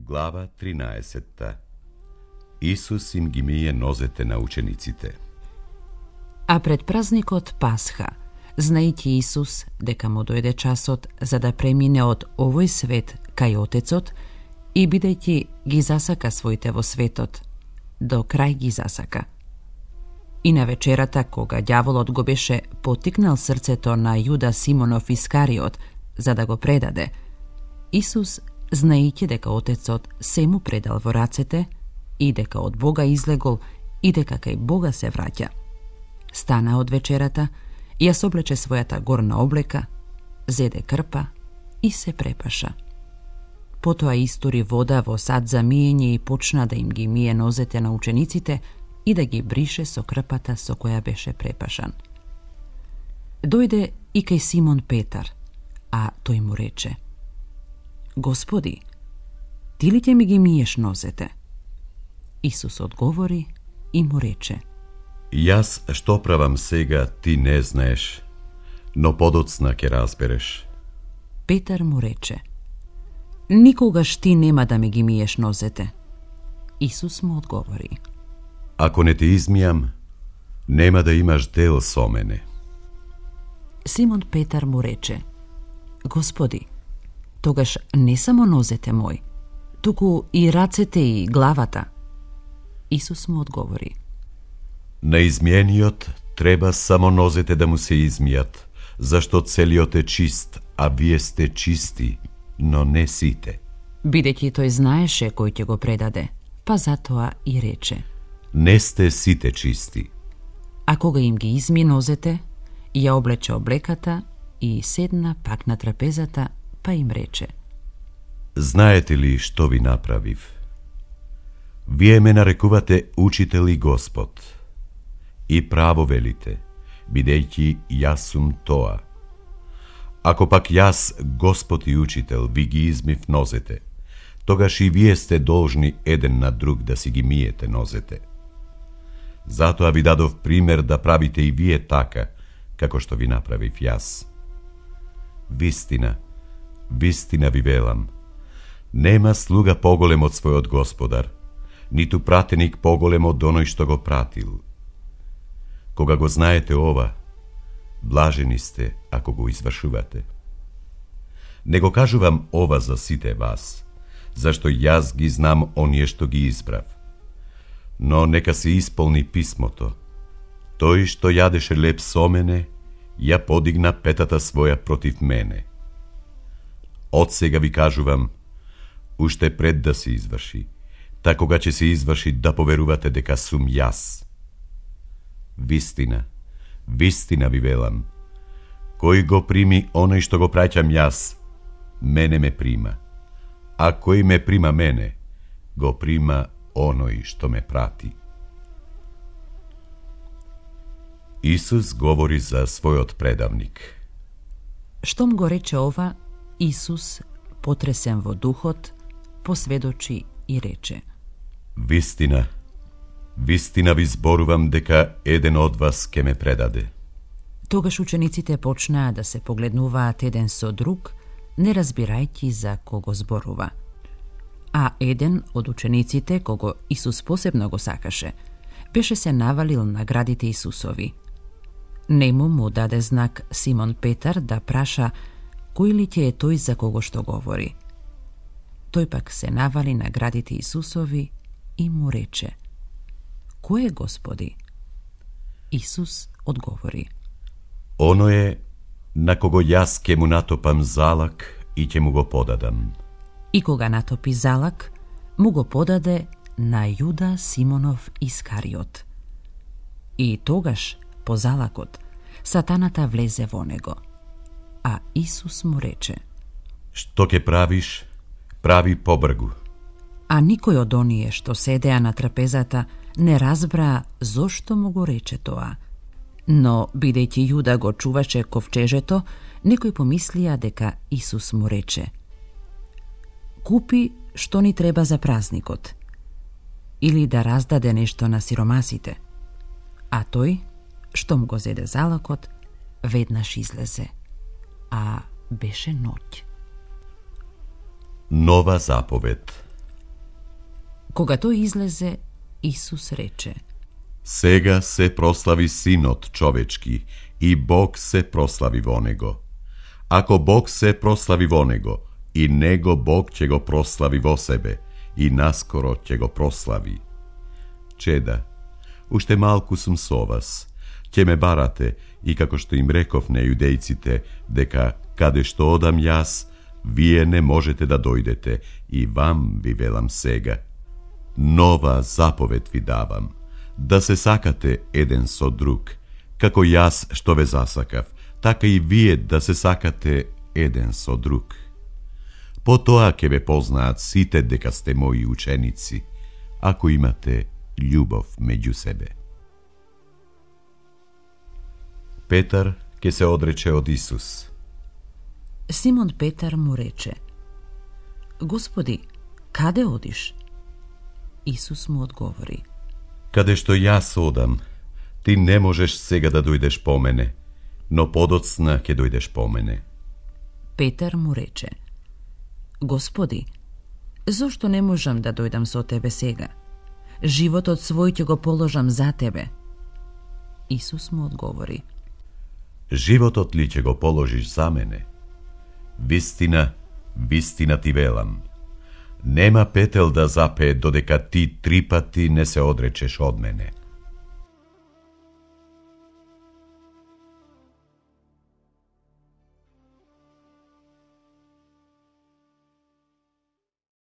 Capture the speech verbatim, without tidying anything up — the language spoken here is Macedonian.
Глава тринаесетта. Исус им ги мие нозете на учениците. А пред празникот Пасха, знајќи Исус дека му дојде часот за да премине од овој свет кај Отецот и бидејќи ги засака своите во светот, до крај ги засака. И на вечерата, кога ѓаволот го беше потикнал срцето на Јуда Симонов Искариот за да го предаде, Исус, знаејќи дека Отецот се му предал во рацете и дека од Бога излегол и дека кај Бога се враќа, стана од вечерата, ја соблече својата горна облека, зеде крпа и се препаша. Потоа истори вода во сад за миење и почна да им ги мие нозете на учениците и да ги брише со крпата со која беше препашан. Дојде и кај Симон Петар, а тој му рече: Господи, ти ли ќе ми ги миеш нозете? Исус одговори и му рече: Јас што правам сега ти не знаеш, но подоцна ќе разбереш. Петар му рече: Никогаш ти нема да ми ги миеш нозете. Исус му одговори: Ако не те измијам, нема да имаш дел со мене. Симон Петар му рече: Господи, тогаш не само нозете мој, туку и рацете и главата. Исус му одговори: На измиениот треба само нозете да му се измијат, зашто целиот е чист, а вие сте чисти, но не сите. Бидејќи тој знаеше кој ќе го предаде, па затоа и рече: Не сте сите чисти. А кога им ги изми нозете, ја облече облеката и седна пак на трапезата, па им рече: Знаете ли што ви направив? Вие ме нарекувате учител и Господ. И право велите, бидејќи јас сум тоа. Ако пак јас, Господ и учител, ви ги измив нозете, тогаш и вие сте должни еден на друг да си ги миете нозете. Затоа ви дадов пример да правите и вие така, како што ви направив јас. Вистина, вистина ви велам, нема слуга поголем од својот господар, ниту пратеник поголем од оној што го пратил. Кога го знаете ова, блажени сте ако го извршувате. Не го кажувам ова за сите вас, зашто јас ги знам оние што ги избрав. Но нека се исполни писмото. Тој што јадеше леп со мене, ја подигна петата своја против мене. Од сега ви кажувам, уште пред да се изврши, та кога ќе се изврши да поверувате дека сум јас. Вистина, вистина ви велам, кој го прими оној што го праќам јас, мене ме прима, а кој ме прима мене, го прима оној што ме прати. Исус говори за својот предавник. Штом го рече ова, Исус, потресен во духот, посведочи и рече: Вистина, вистина ви зборувам дека еден од вас ке ме предаде. Тогаш учениците почнаа да се погледнуваат еден со друг, не разбирајќи за кого зборува. А еден од учениците, кого Исус посебно го сакаше, беше се навалил на градите Исусови. Нему му даде знак Симон Петар да праша кој ли ќе е тој за кого што говори. Тој пак се навали на градите Исусови и му рече: Кој е, Господи? Исус одговори: Оно е на кого јас ке му натопам залак и ќе му го подадам. И кога натопи залак, му го подаде на Јуда Симонов Искариот. И тогаш, по залакот, сатаната влезе во него. А Исус му рече: Што ќе правиш, прави побргу. А никој од оние што седеа на трапезата не разбраа зошто му го рече тоа. Но, бидејќи Јуда го чуваше ковчежето, некои помислија дека Исус му рече: Купи што ни треба за празникот, или да раздаде нешто на сиромасите. А тој, штом го зеде залакот, веднаш излезе, а беше ноќ. Нова заповед. Кога тој излезе, Исус рече: Сега се прослави Синот човечки и Бог се прослави во него. Ако Бог се прослави во него, и него Бог ќе го прослави во себе, и наскоро ќе го прослави. Чеда, уште малку сум со вас, ќе ме барате, и како што им реков на јудејците, дека каде што одам јас, вие не можете да дојдете, и вам ви велам сега. Нова заповед ви давам, да се сакате еден со друг, како јас што ве засакав, така и вие да се сакате еден со друг. По тоа ќе ве познаат сите дека сте мои ученици, ако имате љубов меѓу себе. Петар ќе се одрече од Исус. Симон Петар му рече: Господи, каде одиш? Исус му одговори: Каде што јас одам, ти не можеш сега да дојдеш по мене, но подоцна ќе дојдеш по мене. Петар му рече: Господи, зошто не можам да дојдам со тебе сега? Животот свој ќе го положам за тебе. Исус му одговори: Животот ли ќе го положиш за мене? Вистина, вистина ти велам, нема петел да запее додека ти три пати не се одречеш од мене.